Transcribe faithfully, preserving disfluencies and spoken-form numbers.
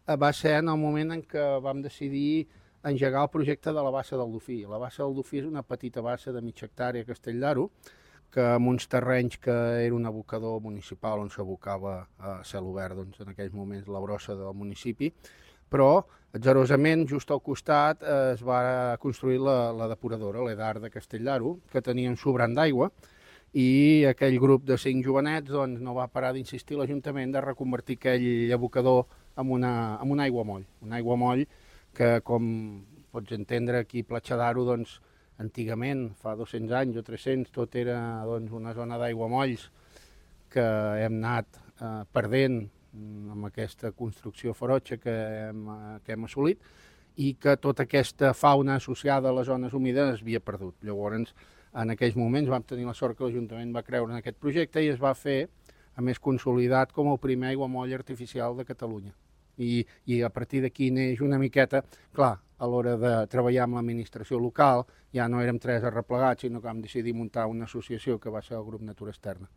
va ser en el moment en què vam decidir engegar el projecte de la Bassa del Dofí. La Bassa del Dofí és una petita bassa de mitja hectàrea a Castell d'Aro, que amb uns terrenys que era un abocador municipal on s'abocava a cel obert, doncs, en aquells moments la brossa del municipi, però atgerosament just al costat es va construir la, la depuradora, l'Edar de Castell d'Aro, que tenia un sobrant d'aigua, i aquell grup de cinc jovenets doncs, no va parar d'insistir l'Ajuntament de reconvertir aquell abocador en, una, en un aiguamoll. Un aiguamoll que, com pots entendre, aquí a Platja d'Aro, doncs, antigament, fa dos-cents anys o tres-cents, tot era doncs, una zona d'aiguamolls que hem anat eh, perdent amb aquesta construcció ferotge que hem, que hem assolit i que tota aquesta fauna associada a les zones humides es havia perdut. Llavors, en aquells moments vam tenir la sort que l'Ajuntament va creure en aquest projecte i es va fer, a més consolidat, com el primer aiguamoll artificial de Catalunya. I, i a partir d'aquí neix una miqueta, clar, a l'hora de treballar amb l'administració local ja no érem tres arreplegats, sinó que vam decidir muntar una associació que va ser el Grup Natura Externa.